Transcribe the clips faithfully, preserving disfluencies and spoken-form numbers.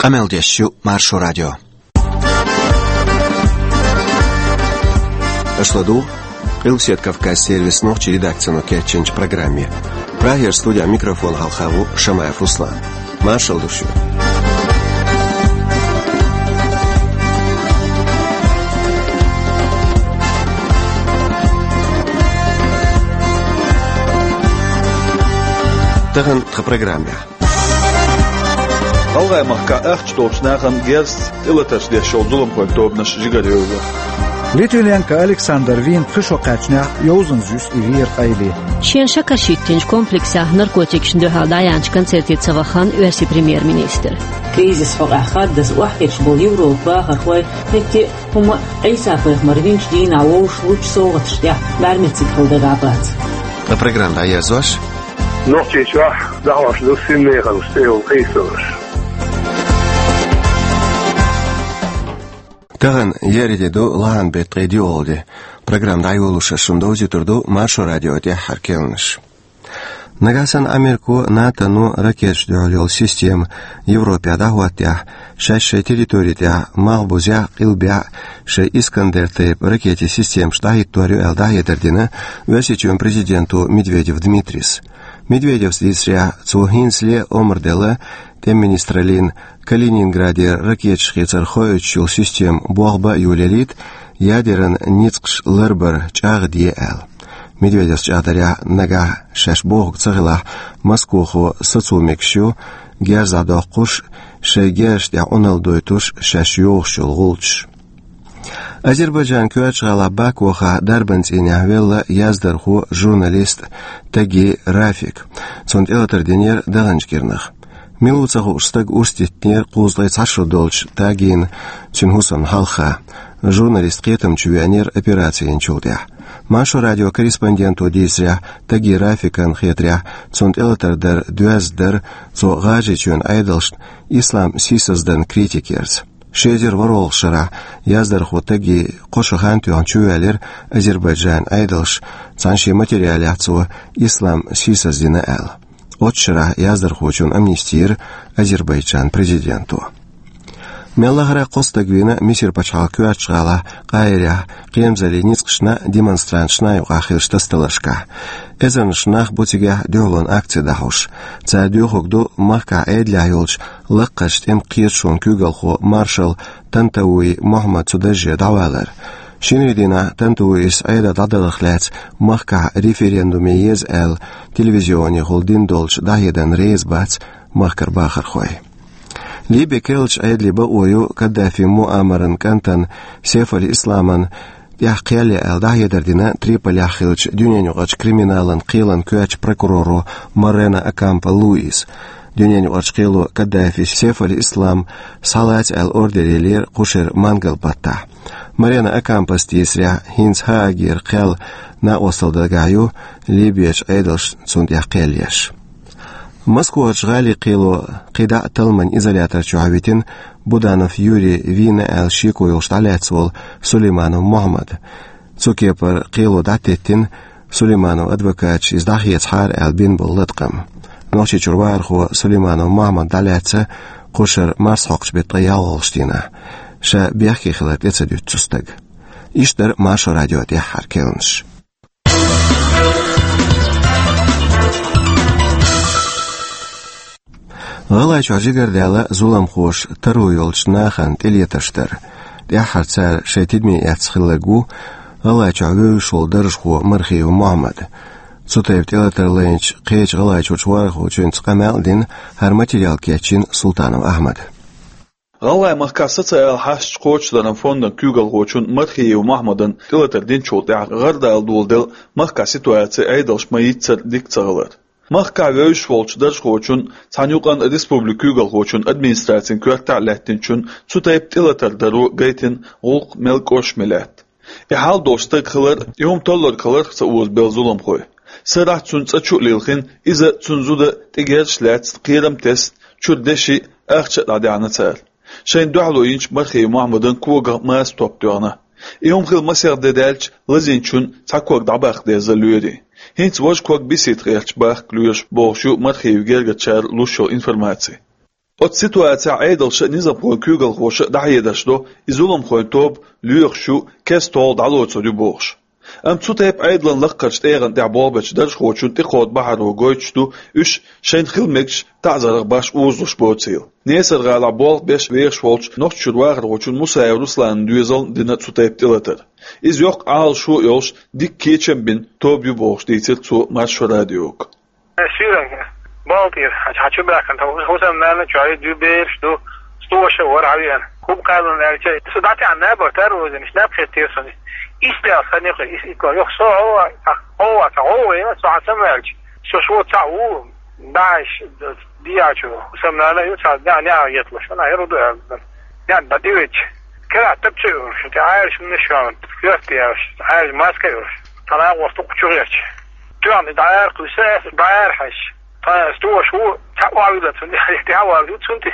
Къамел деш ю Маршо радио. Аша ладугӀу Къилбаседа Кавказ сервисан нохчийн редакцино кечйинчу программе. Прагера студехь микрофон хьалха ву Шамаев Руслан. Маршалла ду шуьга. Тахана тхан программехь. ГӀалгӀай-махкахь ахча долчу нахана герзаца тӀелатарш деш йолу зуламхойн тобанаш жигара йовзо. Литвиненко Александр вийна пхи шо кхаьчнехь йовзанза юьсу и вер къайле. Шен шакарш хӀиттинчу комплексехь наркотикашна дуьхьал дӀаяьхьначу концерте ца вахана оьрсийн премьер-министр. Кризис хьокъехь хаддаза охьахеташ болу Европан бахархой хӀетте а хӀума Ӏийса-пайхамар винчу дийнахь вовшах лучу совгӀаташ тӀехь бӀаьрмециг хила дагахь бац. Ткъа программа дӀаерзош. Нохчийчохь дӀахьош ду синмехаллаш цӀе йолу къийсамаш. Тахана еарин де ду, лахьан беттан ткъе диъалгӀа де. Программа дӀайолош шуна довзуьйтур ду Маршо радион тӀаьххьара керланаш. Нагахь санна Америко, НАТО-но ракеташна дуьхьал йолу система Европехь дӀахӀоттахь, шаьш шайн территори тӀехь малхбузехь а, къилбехь а шайн Искандер-тайпа ракетийн системаш дӀахӀиттор ю аьлла дӀахьедар дина Оьрсийчоьнан президента Медведев Дмитрийс. Медведевс дийцарехь, цо хӀинцале омра делла тӀеман министраллина Калининградера ракеташ хийцар хоуьйтуш йолу система болх бан а йолаялийта, ядеран ницкъаш ларбар чӀагӀде аьлла. Медведевс чӀагӀдарехь, нагахь шаьш бохург ца хилахь, Москвахо сацо мегаш ю герз дӀадоккхуш, шайн герзаш тӀехь Ӏуналла дойтуш шаьш йохуш йолу гӀулчаш. Азербайджанан коьртачу гӀалахь Бакухахь дарбан цӀийнехь велла яздархо, журналист Таги Рафик. Цунна тӀелатар динера даханчу кӀирнах. Мила ву ца хууш стаг урс диттинера кхузткъе цхьа шо долчу Тагина цуьнан хӀусамна хьалха. Журналист кхетам чу веанера операци йинчул тӀаьхьа. Маршо радион корреспонденто дийцарехь, Таги Рафикана хетарехь, цунна тӀелатар дар доьзна дара цо ГӀажарийчоьнан Ӏедалшна ислам сийсаздан критика ярца. Ши эзар ворхӀалгӀачу шарахь яздархо Таги кхо шо хан тоьхна чувоьллира Азербайджанан Ӏедалша, цхьана шен материалехь цо ислам сийсаздина аьлла. Оццу шарахь яздархочунна амнисти йира Азербайджанан президенто. Мел лахара кхо стаг вийна Мисар пачхьалкхан коьртачу гӀалахь Къахьирехь кхерамзаллин ницкъашна а, демонстранташна а юкъахь хиллачу тасадаларшкахь. Эзарнаш нах бу цигахь дуьхьалонан акци дӀахьош. Цара доьхург ду махкахь Ӏедалехь йолчу лакхарчу тӀеман кхеташонан куьйгалхо маршал Тантауи Мохьмад цу дарже дӀавалар. Шинарин дийнахь Тантауис Ӏедал дӀадаларх лаьцна махкахь референдуме еза аьлла телевизионехула дина долчу дӀахьедарна реза бац махкара бахархой. Ливин керлачу Ӏедалан бакъо ю Каддафин Муаммаран кӀантана Сеф аль-Исламана тӀехь кхел ян аьлла дӀахьедар дина Триполехь хиллачу дуьненаюкъарчу криминалан кхелан коьртачу прокуроро Морено Окампо Луиса. Дуьненаюкъарчу кхело Каддафис Сеф аль-Ислам схьалаца аьлла ордер еллера кху шеран мангал-баттахь. Морено Окампос дийцарехь, хӀинца Гаагера кхел накъосталла дагахь ю Ливерчу Ӏедалшна цунна тӀехь кхел еш. Москварчу гӀалин кхело кхидӀа а талламан изолятор чохь витина Буданов Юрий вийна аьлла шеко йолуш дӀалаьцна волу Сулейманов Мохьмад. Цу кепара кхело дӀатеттина, Сулеймановн адвокаташа иза дӀахецахьара аьлла бина болу латкъам. Нохчийчуьра вахархо Сулейманов Мохьмад дӀалаьцна кху шарахь марсхьокхучу беттан ткъе ялхалгӀачу дийнахь. Ша бехке хилар тӀе ца дуьту цу стага. Иштта дара Маршо радион тӀаьххьара керланаш. ГӀалгӀайчохь жигара даьлла зуламхоша таро йолчу нахана тӀелетарш дар. ТӀаьххьара цара шайн тидаме эцна хилларг ву ГӀалгӀайчохь вевзаш волу даржхо Мархиев Мохьмад. Цу тайпа тӀелатар лайначу кхечу ГӀалгӀайчуьрчу вахархочуьнца къамел а дина, хӀара материал кечйина Султанов Ахьмада. ГӀалгӀай-махкахь социалан хьашташ кхочушдаран фондан куьйгалхочун Мархиев Мохьмадан тӀелатар динчул тӀаьхьа гӀардала доладелла махкахь ситуаци Ӏедалша ма-йиццара дика ца хилар. Махкахь вевзаш волчу даржхочун, цхьана юкъанна республикан куьйгалхочун администрацин коьртахь а лаьттинчун цу тайпа тӀелатар даро гайтина гӀуллакх мел кӀошташ ма лаьтта. И хьал долуш стаг хилар, и хӀума толлург хиларх ца озабелла зуламхой. Сарахь цуьнан цӀа чу а лилхина, иза, цуьнан зуда тӀе герзаш лаьцна, кхерам тесна, чуьра деши, ахча а дӀадаьхьна цара. Шайна дуьхьало йинчу Мархиев Мохьмадан когах маса топ тоьхна. И хӀума хилла масех де даьлча, лазийначунна цхьа ког дӀабаккха деза лоьрийн. ХӀинца важа ког бисийтта гӀерташ баккха лоьраш бохуш ю Мархиевн гергарчара луш йолу информаци. Оцу ситуацехь Ӏедалша а, низамхойн куьйгалхоша а дӀахьедарш до, и зуламхойн тоба лоьхуш ю, кеста-толла дӀалоцур ю бохуш. Амма цу тайпа Ӏедалан лаккхарчу тӀегӀан тӀехь болх бечу даржхочун тӀекхолла бахьаро гойтуш ду, уьш шайна хила мегаш таӀзарах башха озалуш боцийла. Несар-гӀалахь болх беш вехаш волчу Нохчийчуьра вахархочун Мусаев Русланан доьзална дина цу тайпа тӀелатар. Иза йоккха Ӏалашо а йолуш, дика кечам а бина тоба ю бохуш, дийцира цо Маршо радиога. Суьйранна, балтийра, хьан чу баьхкина, хӀусамна нана чохь дуьйна бераш ду, стоша а вара хьан веана. ХӀума кхаьллина аьлча, со дӀатаьӀна набар тара вазина, иштта наб хеттера суна. Иштта аьлла хан юкъа, ис икко, юха со гӀовгӀа, гӀовгӀа, ца гӀовгӀа, со хьан самаваьлча. Со шо цхьаъ ву, ДаӀиш, диячу, хӀусамна нана ю, цхьа неӀ, неӀ гӀеталуш, вана хӀара ду аьлла. НеӀ дӀа тӀевечча, кара тапча йолуш, тӀе Ӏаьржа хӀуманаш йолу, коьрта яьллаш, Ӏаьржа маска а йолуш. Цхьана агӀор сту кху чу гӀерташ. Тоьхна дӀаара кхуьйсу аса, дӀаара хьаьжча. Тхан стоша ву, цхьаъ охьавилла цунна, тӀаьхьа валла ю цунна тӀе.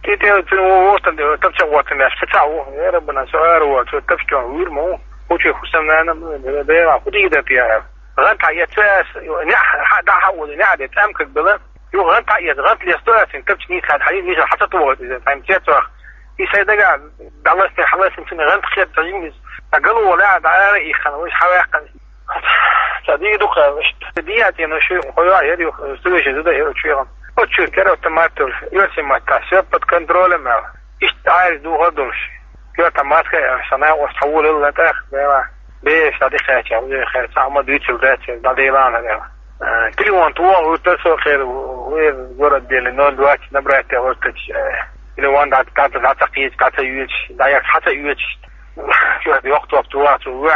ТӀе тӀе цунна ву вортан де, тапча гӀоттан деш, ца цхьаъ ву. Яра бана, со ара ву, цо тапча чохь вуьйр ма ву. ХӀу чу хӀусамна нана, бера, хӀу дийр дан те яра. ГӀанта хьаэца аса, неӀ, хьа, дӀа хьа ву, неӀ де, тӀамкаг бела. Юха гӀанта хьаэца, гӀанта лесто аса, тапча нийса хьан, хьан нийса хьан ца тухуьйту иза, тхайна цецвах. И сайн дагахь дӀалаьцна, хьалаьцна цунна гӀанта хета дӀа жимма иза. Ткъа гало валахь, дӀа ара иххана, вайша хьаваьккхина. Ца дийр ду кхаьлла иштта. Дийна цӀена шу хьо йоӀ яра юха, сту вешан зуда яра чуьйгӀан. Оцу чуьра кара автомат долуш, оьрсийн маттахь, всё под контролем аьлла. Иштта Ӏаьржа духар долуш. Коьрта маска а яьлла, сан накъост хьан волалла тӀаккха, бела. Бераш дӀа тӀекхаьчча, уже хер цхьа хӀума дуьйцур дац, дӀаделахьа аьлла. Э, телефон тухуш вуьтура со хер, вер город дели, ноль двадцать набрать аьлла вуьтура, э, телефон дӀа, дӀа, дӀа ца кхеча, дӀа ца оьцуш, дӀа яц, хьан ца оьцуш. Чуьра йоккха топ тухуш ву,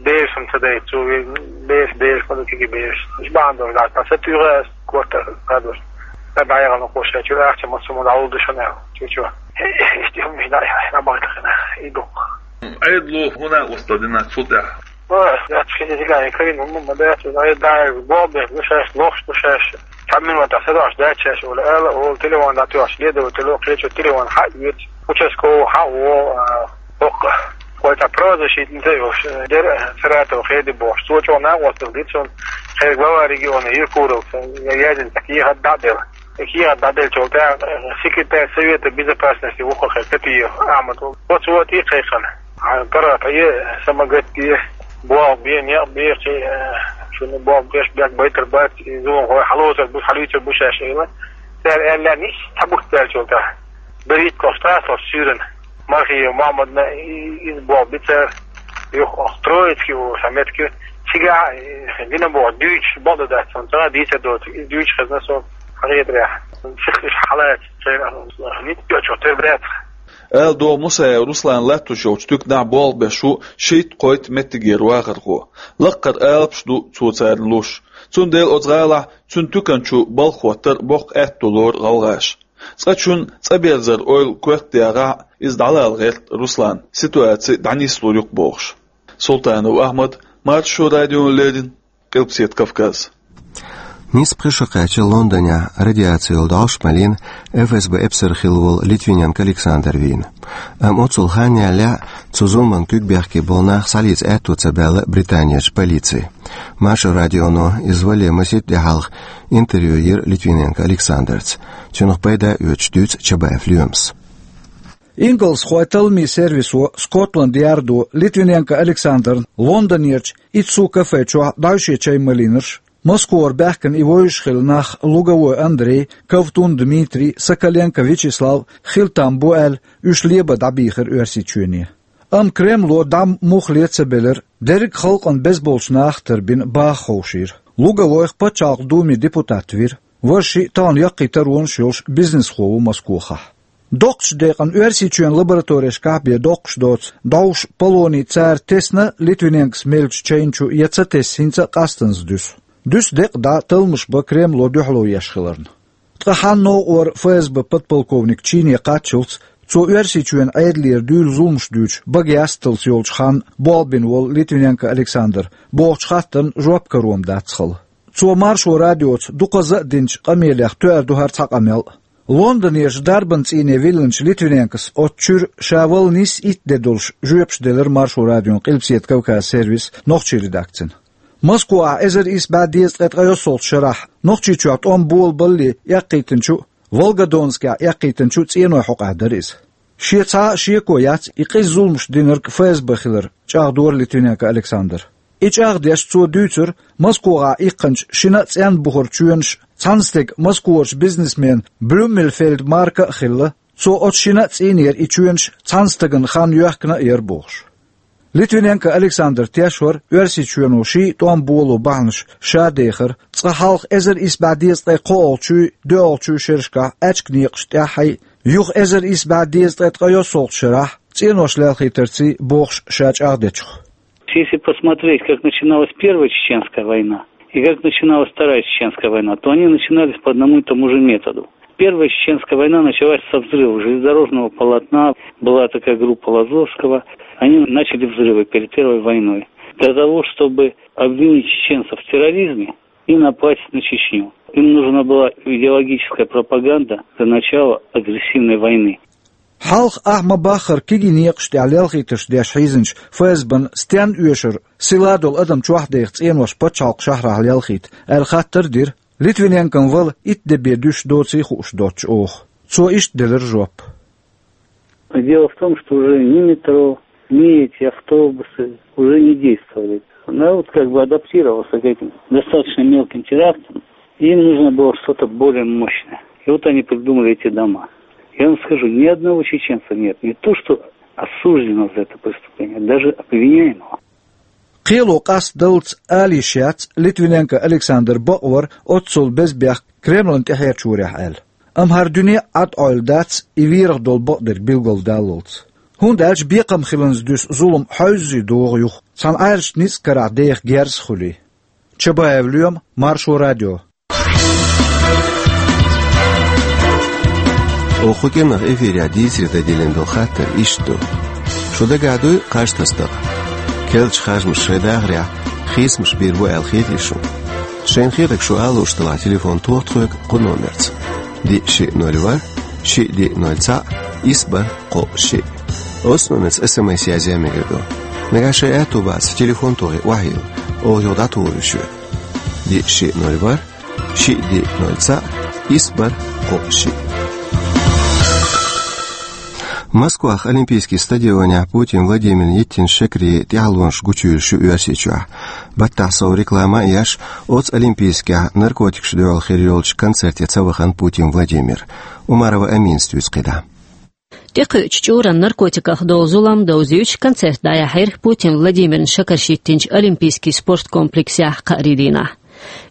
бераш хӀума ца дайта, цо ве-, бераш, бераш, ма ду кегий бераш. Уьш бахьана долуш дац, ткъа са туьйхира аса, корта хадуш. Ткъа дӀаяхана кхо шайн чуьра ахча массо а ма дӀалур ду шуна аьлла. Чу-чу. Иштта хӀуманаш дӀа, дӀабахкахина. И дукха. Ӏедало хӀун накъосталла дина цул тӀаьхьа? Ой, дац, хӀинца дигай, карина хӀума ма дац, ай, дай, бобе, ну, шаьш, лохуш, ну, шаьш. Цхьа минута садош дац шаьш, ола, ала, ола, телефон дӀатоьхуш, леда, ола, тело, кхечу телефон хьа а оьцу, участковый хьа а во, а, хӀокху. Кхой цхьа правозащитница йолуш, дера, Саратов хеди бохуш. Цо чӀогӀа накъосталла дира цунна, хьерга глава региона Евкуровца, я язин цхьа кехат дӀа а делла. И кехат дӀаделлачул тӀаьхьа, э, секретарь Совета безопасности ву-кх хьерга Татиев Ахьмад. Оцу вати кхайкхина. Хьан паргӀатхье, самагатде, болх бе, некъ бе, кхин, э, шуна болх беш бехк байтар бац, и зуламхой хьалоцур бу, хьалуьйцур бу шаьш, аьлла. Цара аьлла, нис цхьа бутт баьллачул тӀаьхьа. БерхӀитта кхош тӀаьхьа суьйранна. Мархиев Махьмадна и-, иза болх бицара, юха Троицкий ву, сан меттиг ю. Цигахь, э, дина боху, дуьйцуш бакъ ду дац, сан цӀа дийца доцу, иза дуьйцуш хезна со хьан хетарехь. Сих уьш хьалаца, церан ницкъ йоцуш тера бац. Ала догӀу Мусаев Руслан латтош йолчу туьканахь болх беш ву шийтта-кхойтта меттигера вахархо. Лаккхара алапаш ду цо царна луш. Цундела оцу гӀалахь цуьнан туькан чу балха хӀоттар боккха аьтто лору гӀалгӀаша. Цкъачунна цӀа берзар ойла коьртадаьхахь, иза дӀалала гӀерта Руслана, ситуаци дӀанислур ю-кх бохуш. Султанов Ахьмад, Маршо радиона леррина, Къилбаседа Кавказ. Нийсса пхи шо кхаьчна Лондонехь радиаци йолу дӀовш малийна ФСБ эпсар хилла волу Литвиненко Александр вийна. Амма оццул хан ялале а цу зуламан куьг бехке болу нах схьалийца аьтто ца баьлла Британерчу полици. Маршо радионо иза вале масийтта де хьалха интервью йира Литвиненко Александрца. Цуьнах пайда оьцуш дуьйцу Чабаев Лоьмас. Ингалсхойн талламийн сервисо Скотланд-Ярдо Литвиненко Александрна Лондонерчу Иццу кафе чохь дӀовше чай малийнарш, Москвара баьхкина и вевзаш хилла нах Луговой Андрей, Ковтун Дмитрий, Соколенко Вячеслав хила там бу аьлла, уьш лебан дӀабийхира Оьрсийчоьне. Амма Кремло дӀа муха ле ца белира, дерриг а халкъана беза болчу наха тарбина баха ховшийра. Луговойх Пачхьалкхан Думин депутат вира. Важа шиъ тахана яккхий таронаш йолуш бизнесхо ву Москохахь. Доккхачу декъана Оьрсийчоьнан лабораторешкахь бен доккхуш доцу дӀовш полоний цара тесна Литвиненкос меллачу чайна чу я ца тесна хӀинца а къастаза дуьсу. Дуьсу декъа дӀа талламаш бан Кремло дуьхьало еш хиларна. Ткъа хьан новкъара ФСБ подполковник чине кхаччалц, цо Оьрсийчоьнан Ӏедалера дуьйла зуламаш дуьйцуш бага ясталц йолчу ханна болх бина волу Литвиненко Александр бохучу хаттарна жоп каро ма дац хала. Цо Маршо радиоца дукхазза а динчу къамелех тоьар ду хӀара цхьа къамел а. Лондонерчу дарбан цӀийне виллинчу Литвиненкос оцу чуьра ша вала нийсса итт де долуш жоьпаш делира Маршо радион Къилбаседа Кавказ сервисан нохчийн редакцина. Москвахь эзар исс бӀе дезткъе ткъайоьсналгӀачу шарахь Нохчийчохь тӀом болабалале эккхийтинчу Волгодонскехь эккхийтинчу цӀенойн хьокъехь дара иза. Шен цхьа а шеко яц и къиза зуламаш динарг ФСБ хилар, чӀагӀдора Литвиненко Александра. И чӀагӀдеш цо дуьйцура, Москвахь иккхинчу шина а цӀенна бухара чоьнаш цхьана стеган, москварчу бизнесмен Блюменфельд Марка а хилла, цо оцу шина а цӀийнера и чоьнаш цхьана стагана хан йоьхкина а яра бохуш. Литвиненко Александр тешвара Оьрсийчоьно ший а тӀом боло бахьанаш ша дехар, цкъа хьалха эзар исс бӀе дезткъе кхоалгӀачуй, доьалгӀачуй шерашкахь аьчка некъаш тӀаьххьий, юха эзар исс бӀе дезткъе ткъайоьсналгӀачу шарахь цӀенош лелхийтарций бохуш ша чӀагӀдечух. Если посмотреть, как начиналась Первая Чеченская война и как начиналась Вторая Чеченская война, то они начинались по одному и тому же методу. Первая Чеченская война началась со взрыва железнодорожного полотна. Была такая группа Лозовского. Они начали взрывы перед Первой войной. Для того, чтобы обвинить чеченцев в терроризме и напасть на Чечню. Им нужна была идеологическая пропаганда для начала агрессивной войны. Хьалха ахь ма-баххара кегий некъаш тӀехь лелхийтарш деш хьийзинчу ФСБ-н стенна оьшура сила долу адам чохь деха цӀенош пачхьалкхан шахьарахь лелхийта, аьлла хаттар а дира. Литвиненкон вала итт де бен дуьйш доций хууш доцчу оха. Цо иштта делира жоп. Дело в том, что уже ни метро, ни эти автобусы уже не действовали. Народ как бы адаптировался к этим достаточно мелким терактам. Им нужно было что-то более мощное. И вот они придумали эти дома. Я вам скажу, ни одного чеченца нет. Не то, что осужденного за это преступление, даже обвиняемого. Кхело къастадаллалц ала йиш яц Литвиненко Александр бакъвар оццул беза бехк Кремлан тӀаьхьарчарехь аьлла. Амма хӀара дуьне а Ӏад Ӏойла дац и верах долу бакъдерг билгалдаллалц. ХӀунда аьлча бекхам хиланза дуьсу зулам хьовзий догӀу юха, цхьана Ӏаьржачу ницкъ карахь деха герз а хуьлий. Чабаев Лоьма, Маршо радио. Оха кху кӀиранах эфирехь дийцаре дан диллина долу хаттар иштта ду. Шу дагахь дуй кхаж тасадаккха? Керлачу харжамаша шайн дахарехь хийцамаш бийр бу аьлла хетий шуна? Шайна хетарг шу ала лууш делахь, телефон тоха тхоьга кху номерца: диъ шиъ ноль ворхӀ, шиъ диъ ноль цхьаъ, исс бархӀ кхоъ шиъ. Оццу номерца СМС язъян мегар ду. Нагахь шайн аьтту бацахь, телефон тохий охьайилла, оха юха дӀатухур ю шуьга. Диъ шиъ ноль ворхӀ, шиъ диъ ноль цхьаъ, исс бархӀ кхоъ шиъ. Москвахь Олимпийский стадионехь Путин Владимирна йиттина шекарийн тӀаьхьалонаш гучуйуьйлуш ю Оьрсийчохь. Баттахь сов реклама а еш, оццу Олимпийскехь наркотикашна дуьхьал хир йолчу концерте ца вахана Путин Владимир. Умарова Аминас дуьйцу кхидӀа. ТӀекхуьучу чкъуран наркотиках долу зулам довзуьйтуш концерт дӀаяьхьира Путин Владимирна шекарш йиттинчу Олимпийский спорткомплексехь кхаарин дийнахь.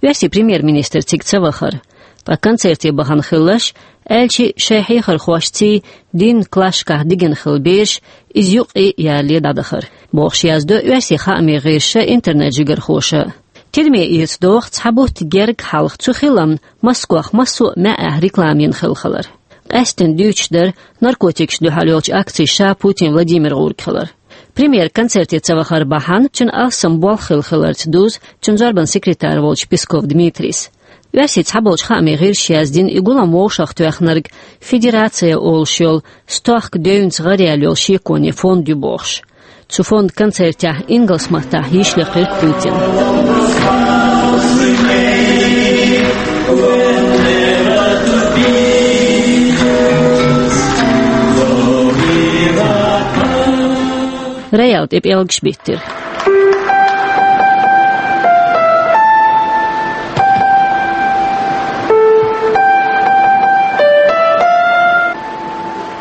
Оьрсийн премьер-министр цига ца вахара. Ткъа концерте бахана хилларш, аьлча а шайн хьехархошций дин класшкахь дигина хилла бераш, иза юккъе а ялале дӀадахара, бохуш яздо оьрсийн хаамийн гӀирсаша, интернет-жигархоша. Тидаме эца догӀу цхьа бутт герга хьалха цу хиламна Москвахь массо а маьӀӀехь реклама йина хилла хилар. Къаьсттина дуьйцуш дара наркотикашна дуьхьал йолчу акцин ша Путин Владимир гӀург хилар. Премьер концерте ца вахар бахьана цуьнан алссам болх хилла хиларца дузу цуьнан зорбанан секретарь волчу Песков Дмитрийс. Оьрсийн цхьаболчу хаамийн гӀирсаша яздина, и гулам вовшахтоьхнарг «Федерация» олуш йолу стохка девнца гӀараяьлла йолу шеконийн фонд ю бохуш. Цу фондан концертехь ингалс маттахь йиш лекхира Путина. Роял тӀе пӀелгаш биттира.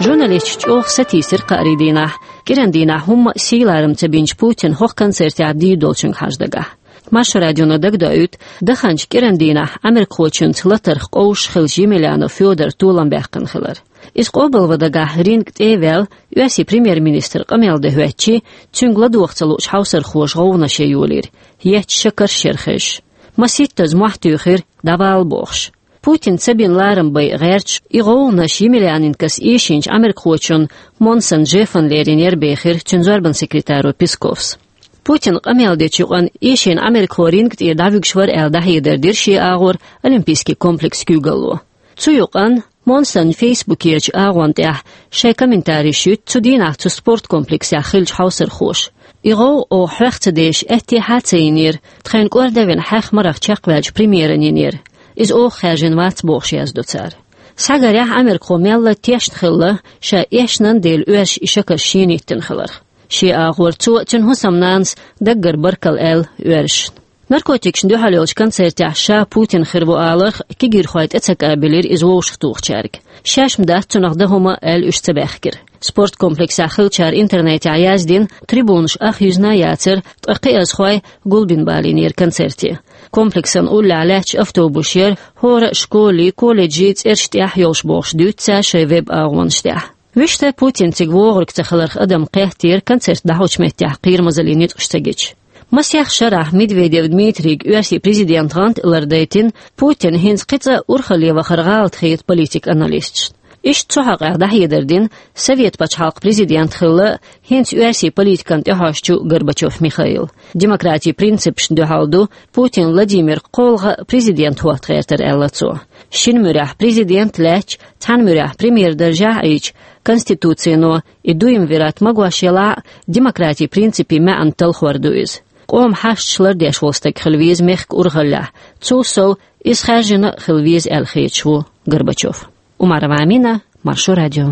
Журналисташ чӀогӀа сатийсира кхаарин дийнахь. КӀиран дийнахь хӀумма а сийларам ца бинчу Путина хӀокху концертехь дийр долчуьнга хьажа дагахь. Маршо радионо дагадоуьйту, даханчу кӀиран дийнахь Ӏамеркахочуьнца латарх къовсуш хиллачу Емельянов Фёдор толам баьккхина хилар. Иза къобалван дагахь ринг тӀе а ваьлла, оьрсийн премьер-министр къамел дан хӀоьттичи, цуьнга ладогӀа ца луучу хьовсархоша гӀовгӀанаш ян йолийра, етташ шекарш яра хезаш. Масийттаза мохь туьйхира, дӀавала бохуш. Путина ца бина ларам байа гӀерташ, и гӀовгӀанаш Емельяненкос эшийначу Ӏамеркахочун Монсон Джеффана лерина яра бехира цуьнан зорбанан секретаро Песковс. Путина къамел дечу юкъанна эшийна Ӏамеркахо ринг тӀера дӀавуьгуш вара аьлла дӀахьедар дира шен агӀор Олимпийский комплексан куьйгалло. Цу юкъанна Монсона фейсбукерчу агӀон тӀехь шайн комментарийш юьту цу дийнахь цу спорткомплексехь хиллачу хьовсархоша. И гӀовгӀа оха хьоьх ца дезаш аьттехьа а ца йинера, тхайна кӀордавина хьаьх марах чекхваьллачу премьеран йинера. Иза оха хаьржина вац бохуш яздо цара. Цхьагарехь Ӏамеркахо мелла тешна хилла, ша эшнан дела оьрсаша и шакарш шена йиттина хиларх. Шен агӀор цо а, цуьнан хӀусамнанас даггара баркалла аьлла оьрсашна. Наркотикашна дуьхьал йолчу концертехь ша Путин хир ву аларх кегийрхой тӀе ца кӀабелира иза вовшахтухучаьрга. Шаьш-м дац цунах дан хӀума аьлла, уьш ца баьхкира. Спорткомплексехь хиллачара интернетехь яздина, трибунаш ах юьзна а яцара, ткъа кхиазхой гулбина балийнера концерте. Комплексан уллехь лаьтташ автобусаш яра, хӀора а школий, колледжий цӀераш тӀехь йолуш бохуш дуьйцу цара шайн веб-агӀонаш тӀехь. Вуьшта Путин цига вогӀург ца хиларх адам кхеттера концерт дӀахьочу меттехь кхерамазаллин ницкъаш ца гича. Масех шарахь Медведев Дмитрийга оьрсийн президент гӀант а лардайтина, Путин хӀинца кхин цкъа урхалле вахар гӀалат хета политик аналисташна. Иштта цу хьокъехь дӀахьедар дина Совет пачхьалкхан президент хилла хӀинца оьрсийн политикан тӀехьожчу Горбачев Михаила. Демократийн принципашна дуьхьал ду Путин Владимир кхоалгӀа президент хӀотта гӀертар, аьлла цо. Шина муьрехь президент лаьтташ, цхьана муьрехь премьер даржехь Ӏийча, конституцино и дуйма вират магош елахь а, демократийн принципийн маьӀна талхор ду иза. Къоман хьашташ лардеш волу стаг хила веза мехкан урхаллехь, цул сов иза хаьржина а хила веза аьлла хеташ ву Горбачев. Умарова Амина, Маршо радио.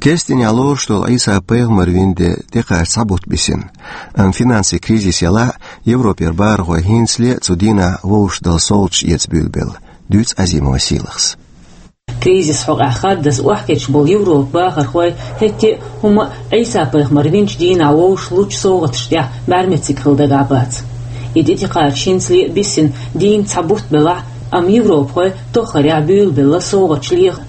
Керстанехь лоруш долу Ӏийса-пайхамар вина де тӀекхача цхьа бутт бисина. Амма финансийн кризис елахь а, Европера бахархой хӀинцале а цу дийнахь вовшах дала совгӀаташ эца буьйлабелла, дуьйцу Азимова Сийлахьас. Кризис хьокъехь хаддаза охьакхеташ болу Европан бахархой хӀетте а хӀума а Ӏийса-пайхамар винчу дийнахь вовшахлучу совгӀаташ тӀехь бӀаьрмециг хила дагахь бац. И тӀетекхача хӀинцале а бисина дийнна цхьа бутт белахь а, амма европахой тоххарехь буьйлабелла совгӀаташ леха.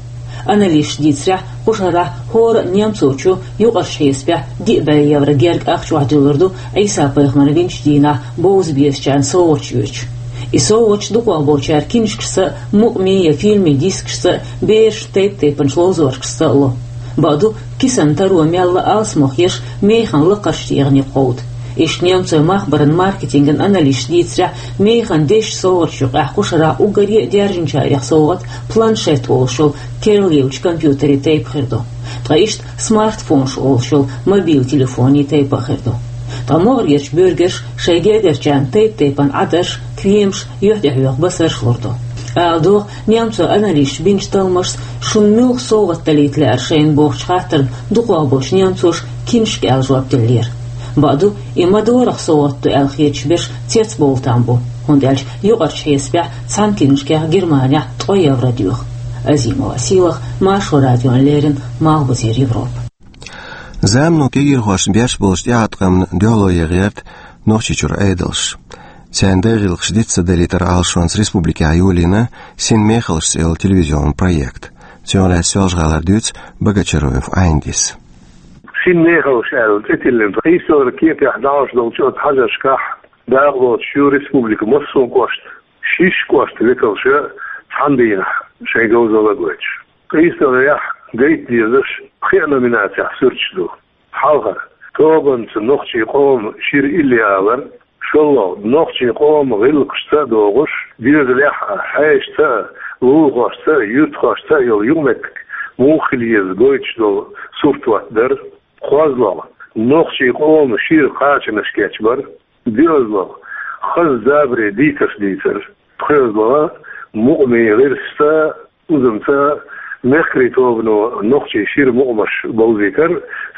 Аналисташа дийцарехь, кху шарахь хӀора а немцочо юкъарчу хьесапехь диъ бӀе евро герга ахча охьадуьллур ду Ӏийса-пайхамар винчу дийнахь бовза безачарна совгӀаташ оьцуш. И совгӀаташ дукхахболчара кинашкашца а, мукъамийн я фильмийн дискашца а, берашна тайп-тайпанчу ловзоршкашца а ло. Бакъду, кисана таро мелла а алсамох еш, механа лакхарчу тӀегӀанийн кховда. Иштта немцойн махбаран маркетинган аналисташа дийцарехь, механа дезачу совгӀаташна юкъахь кху шарахь уггаре а даьржинчарех совгӀат планшет олуш йолу керлаеллачу компьютерийн тайпа хир ду. Ткъа иштта смартфонаш олуш йолу мобил телефонийн тайпа а хир ду. Ткъа могӀарерчу буьргаша шайн гергарчарна тайп-тайпана Ӏадарш, кремаш, юьхь тӀехьоьху басарш лур ду. Ала догӀу, немцойн аналисташа бинчу талламашца шуна муьлха совгӀат далийта лаьара шайна бохучу хаттарна дукхахболчу немцоша кинашка аьлла жоп деллера. Бакъду, и ма-дарра совгӀат ду аьлла хеташ берш цецбовла там бу, хӀунда аьлча юкъарчу хьесапехь цхьана кинашкех Германехь ткъо евро доьху. Азимова Сийлахь, Маршо радиона леррина, Малхбузера Европа. Замано кегийрхошна беш болчу тӀеӀаткъамна дуьхьало ян гӀерта Нохчийчуьра Ӏедалш. Царна дай гӀиллакхаш диц ца далийтаран Ӏалашонца республикехь йолийна «Син мехаллаш» цӀе йолу телевизионан проект. Цунах лаьцна Соьлжа-ГӀалара дуьйцу Богочароев Ӏайндис. «Син мехаллаш» аьлла цӀе тиллина, къийсалгӀа кепехь дӀахьош долчу оцу хьажаршкахь дакъа лоцуш ю республикан массо а кӀоштан, шишша кӀоштан векалша цхьана дийнахь шайн говзалла гойтуш. КъийсалгӀехь гайта дезаш пхеа номинацехь суьрташ ду. Хьалхара — тобанца нохчийн къоман шира илли алар, шолгӀа — нохчийн къоман гӀиллакхашца а догӀуш, доьзалехь а, хьешаца а, лулахошца а, юьртахошца а йолу юкъаметтиг муха хила еза гойтуш долу сурт хӀоттадар, кхозлагӀа — нохчийн къоман шира кхачанаш кечбар, доьазлагӀа — хаза забаре дийцарш дийцар, пхоьазлагӀа — мукъамийн гӀирсашца а, узамца а мехкарийн тобано нохчийн шира мукъамаш бовзийтар,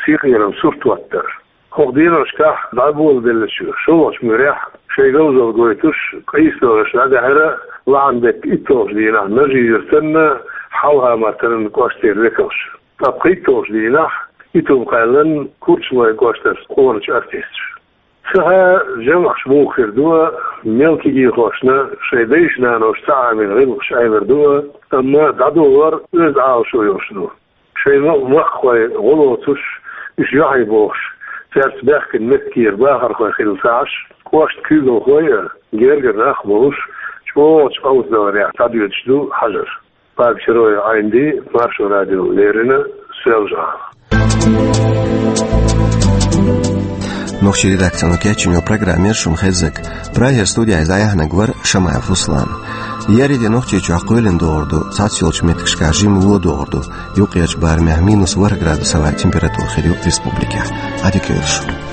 синкъераман сурт хӀоттадар. ХӀокху деношкахь дӀаболабеллачу шолгӀачу муьрехь шайн говзалла гойтуш, къийсалгӀаш дӀадаьхьира лахьанан беттан итталгӀачу дийнахь Нажи-Юьртанна, Хьалха-Мартанан кӀоштера векалш. Ткъа пхийтталгӀачу дийнахь итт-м кхаьллина Курчалойн кӀоштарчу къоначу артисташ. Ца хаьа, жамӀаш муха хир ду, мел кегийрхошна шайн дайша-наноша ца Ӏамийна гӀиллакхаш Ӏемар ду, амма дӀадолор оьзда Ӏалашо йолуш ду. Шайн ма-, махкахой гӀо лоцуш, уьш юьхьий бохуш, цаьрца баьхкина меттигера бахархой хилла ца Ӏаш, кӀоштан куьйгалхой а, гергара нах а болуш, чӀогӀачу къовсадаларехь дӀадоьдуш ду хьажар. Богочароев Ӏайнди, Маршо радиона леррина, Соьлжа-ГӀала. Нохчийн редакцино кечйина йолу программа яра шуна хезнарг. Прагера студехь иза дӀаяьхьнарг вара Шамаев Руслан. Еарин де Нохчийчохь кхоьлина догӀур ду, цхьацца йолчу меттигашкахь жимма ло догӀур ду. Юккъерчу барамехь минус ворхӀ градусовой температура хир ю республикехь. Ӏадика йойла шун.